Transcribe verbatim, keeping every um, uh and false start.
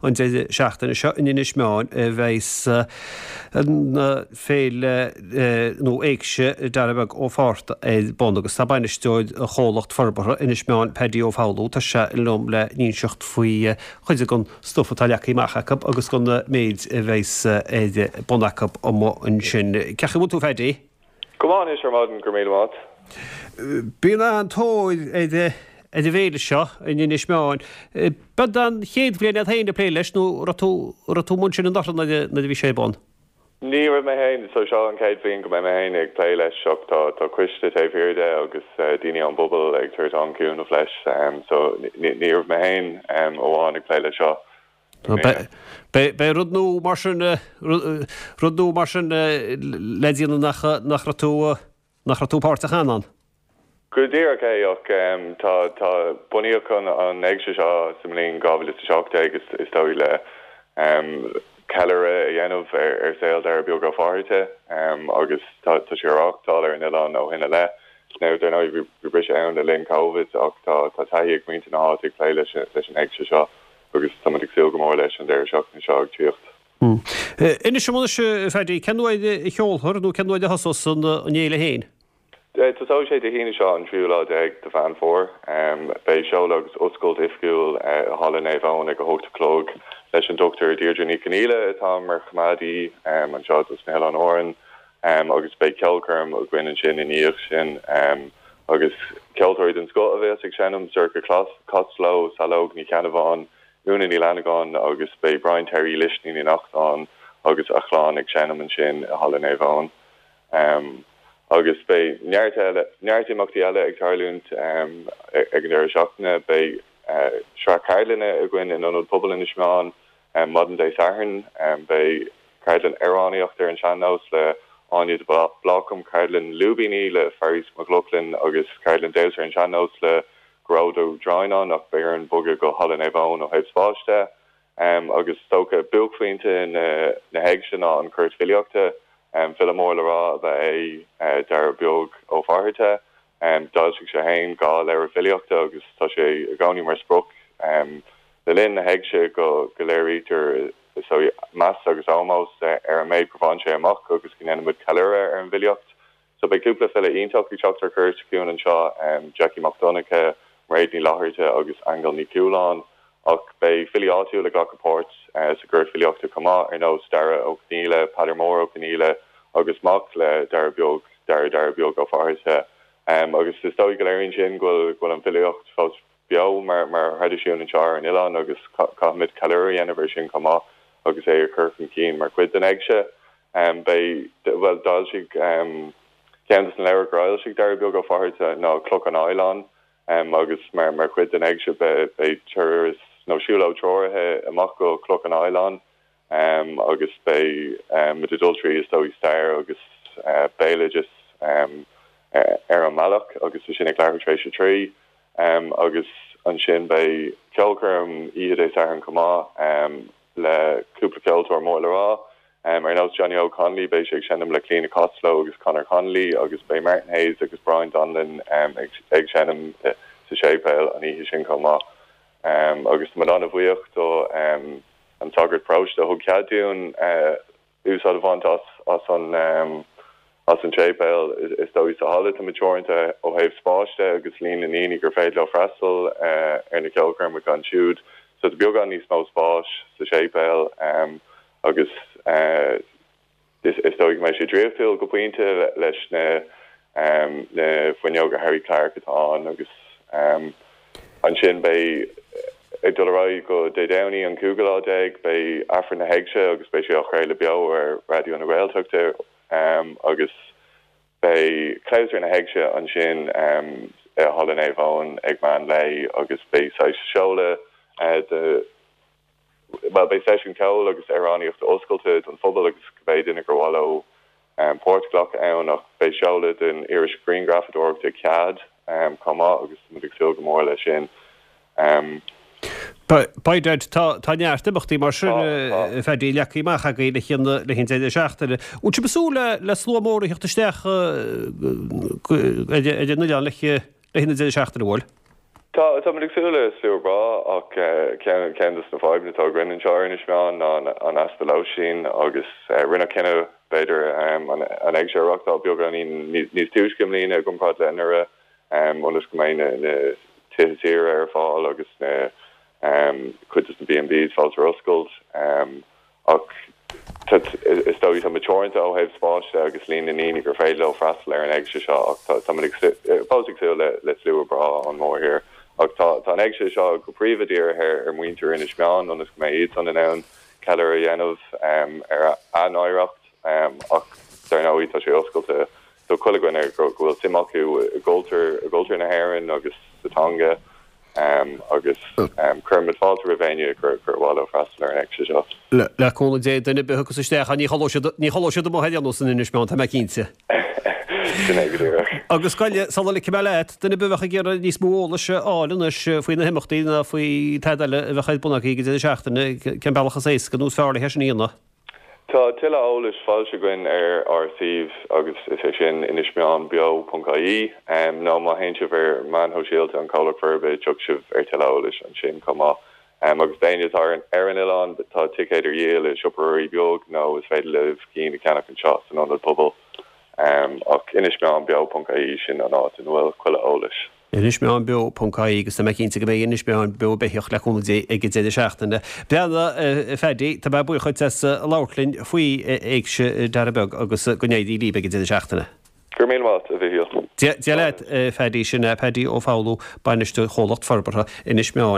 an deireadh seachtaine seo in Inis Meáin a bheas an féile nó Éigse Dara Beag Ó Fátharta ar bun agus tá bainisteoir Chomhlacht Forbartha Inis Meáin Paddy Ó Foghlú tá sé liom le n-inseacht faoi chuid den stuif atá leagtha amach acu agus den méid a bheas ar bun acu amuigh ansin. Cén chaoi a bhfuil tú a Phaddy? Go maith anois ar maidin go raibh míle maith. Bíonn an-tóir ar ar an bhféile seo in Inis Meáin. B'é an chéad bhliain é féin ag plé leis nó raibh tú raibh tú ansin anuraidh nuair a bhí sé ar bun? Ní raibh mé féin so seo an chéad bhliain go mbeidh mé féin ag plé leis ach tá tá coiste taobh thiar de agus daoine ón bpobal ag tabhairt an-chúnamh leis so ní raibh mé féin amháin ag plé leis seo. Beidh rud nua mar sin rud nua mar sin le déanamh nach nach raibh tú nach raibh tú páirteach cheana ann. Go díreach é ach tá tá bunaíodh an an éigse seo sa mbliain dhá mhíle is a seacht déag is is dóigh le ceiliúradh a dhéanamh ar ar saol Dara Beag Ó Fátharta agus tá tá sé á reáchtáil ar an oileán ó shin i leith. Now dar ndóigh bhí bhí briseadh ann le linn Covid ach tá tá taithí ag muintir na háite ag plé leis leis an éigse seo agus táimid ag súil go mór leis an deireadh seachtaine seo ag tíocht. Inis dom anois a Phaddy, cén uair a sheolfar nó cén uair a thosós an fhéile féin? Tosóidh sé Dé hAoine seo an tríú lá déag de Mheán Fómhair. Beidh seoladh agus oscailt oifigiúil i Halla Naomh Eoin ag a hocht a chlog leis an Dochtúir Deirdre Ní Chonghaile atá mar choimeádaí anseo dos na hOileáin Árann agus beidh ceolchoirm againn ansin i ndiaidh sin agus ceoltóirí den scoth a bheas ag seinm Sorcha Costello, Saileog Ní Cheannabháin, Úna Ní Fhlannagáin agus beidh Brian Terry Lisní Ní Neachtain agus a chlann ag seinm ansin i Halla Naomh Eoin. Um, agus beidh neart eile neart imeachtaí eile ag tarlúint um, ag an deireadh seachtaine beidh uh, sraith ceardlanna againn in Ionad Pobail Inis Meáin um, maidin Dé Sathairn um, beidh ceardlann amhránaíocht ar an sean-nós le Áine de Blácam ceardlann lúibíní le Faris McLaughlin agus ceardlann damhsa ar an sean-nós le Gearóid Ó Droighneáin ach beidh orainn bogadh go Halla Naomh Eoin ó thaobh spáis de. Um, agus is dócha buaicphointe na, na héigse ná an Cúirt Filíochta um, file mór le rá ab ea é uh, Dara Beag Ó Fátharta. Um, D'fhoilsigh sé féin dhá leabhar filíochta agus tá sé i gcónaí mar sprioc um, le linn na héigse go go léirítear so meas agus ómós ar an méid gur bhain sé amach agus go ndéanaimid ceiliúradh ar an bhfilíocht. So beidh cúpla file iontach ag teacht ar cuairt chugainn anseo um, Jackie Mac Donncha, Mairéad Ní Fhlatharta agus Aingeal Ní Chualáin ach beidh filí áitiúla ag glacadh páirt uh, sa gcúirt filíochta chomh maith ar nós Dara Ó Conghaile, Peadar Mór Ó Conghaile agus mac le Dara Beag Dara Dara Beag Ó Fátharta. Um, agus is dóigh go léiríonn sin go bhfuil an filíocht fós beo mar mar thraidisiún anseo ar an oileán agus caithfimid ceiliúradh a dhéanamh air sin chomh maith agus é a chur chun cinn mar chuid den éigse. Um, beidh well d'fhoilsigh um, ceann des na leabhair gur fhoilsigh Dara Beag Ó Fátharta ná Cloch an Oileáin um, agus mar mar chuid den éigse beidh turas nó siúlóid treoraithe amach go Cloch an Oileáin um, agus beidh um, dul trí is dóigh stair agus uh, béaloideas um, uh, ar an mbealach agus sin ag leathuair tar éis a trí um, agus ansin beidh ceolchoirm oíche Dé Sathairn chomh maith um, le cúpla ceoltóir mór le rá. Um, ar nós Johnny O'Connolly beidh sé ag seinm le Clíona Costello agus Conor Connolly agus beidh Martin Hayes agus Brian Donlin um, ag, ag seinm uh, sa séipéal an oíche sin chomh maith. Um, agus tá an-bhuíoch do um, an sagart paróiste a thug cead dúinn uh, úsáid a bhaint as as an um, as an séipéal is dóigh sa halla tá teoranta ó thaobh spáis de agus líon na ndaoine gur féidir leo freastal uh, ar na ceolchoirmeacha ansiúd so tá beagán níos mó spáis sa séipéal um, agus uh, is, is dóigh mé sé draíochtúil go pointe leis na um, na fuinneoga Harry Clark atá ann agus um, ansin beidh ag dul ar aghaidh go Dé Domhnaigh an cúigiú lá déag beidh Aifreann na hÉigse agus beidh sé á chraoladh beo ar Raidió na Gaeltachta um, agus beidh clabhsúr na héigse ansin um, i Halla Naomh Eoin ag meán lae agus beidh saghas seoladh uh, de well beidh seisiún ceoil agus amhránaíocht oscailte don phobal agus cibé duine gur mhaith leo um, páirt a ghlacadh ann ach beidh seoladh den iris grianghrafadóireachta CEAD um, chomh maith agus muid ag súil go mór leis sin. Um, Beidh tá tá neart imeachtaí mar sin Phaddy leagtha amach agaibh le haghaidh le haghaidh an deireadh seachtaine. Bhfuil sibh ag súil le le slua mór a theacht isteach ar an oileán le le haghaidh an deireadh seachtaine bhfuil? Tá tá muid ag súil le slua breá ach ceann ceann de na fadhbanna atá againn anseo ar Inis Meáin ná an easpa lóistín agus rinneadh cinneadh b'fhéidir an éigse a reáchtáil beagáinín níos túisce i mbliana i gcomparáid le anuraidh ionas go mbeidh na tithe saoire ar fáil agus na cuid de na B and Bs fós ar oscailt ach is dóigh tá muid teoranta ó thaobh spáis de agus líon na ndaoine gur féidir leo freastal ar an éigse seo ach tá muid fós ag súil le le slua breá ón mórthír ach tá tá an éigse seo go príomha dírithe ar muintir Inis Meáin ionas go mbeidh iad san in ann ceiliúradh a dhéanamh ar a n-oidhreacht ach dar ndóigh tá sé oscailte do chuile dhuine go bhfuil suim acu i gcultúr i gcultúr na hÉireann agus sa teanga agus cuirimid fáilte roimh éinne gur gur mhaith leo freastal ar an éigse seo. Le cúnamh Dé duine ar bith a thiocfas isteach ní chodlóidh ní chodlóidh siad amuigh ar aon nós in Inis Meáin tá mé cinnte. Sin é go díreach. Agus goile sula ligfidh mé leat duine ar bith a bheadh ag iarraidh níos mó eolais a fháil anois faoi na himeachtaí ná faoi tada eile a bheadh ar bun agaibh ag an deireadh seachtaine cén bealach is éasca nó is fearr le sin a dhéanamh. Tá tuilleadh eolais foilsithe againn ar ár suíomh agus is é sin inismeánbeo.ie nó má théann sibh ar meáin shóisialta an Comhlacht Forbartha tiocfaidh sibh ar tuilleadh eolais ansin chomh maith. agus d'éinne atá ar an oileán tá ticéid ar díol i Siopa Ruairí Beag nó is féidir libh cinn a cheannach anseo san ionad pobail ach inismeánbeo.ie sin an áit ina bhfuil chuile eolais. Inismeánbeo.ie agus tá mé cinnte go mbeidh Inis Meáin beo beathach le cúnamh Dé ag an deireadh seachtaine. Breathnaigh a Phaddy tá mé buíoch duit as labhairt linn faoi Éigse Dara Beag agus go n-éirí libh ag an deireadh seachtaine. Gur mí a bhí Dia leat Phaddy sin Paddy Ó Foghlú bainisteoir chomhlacht forbartha Inis Meáin.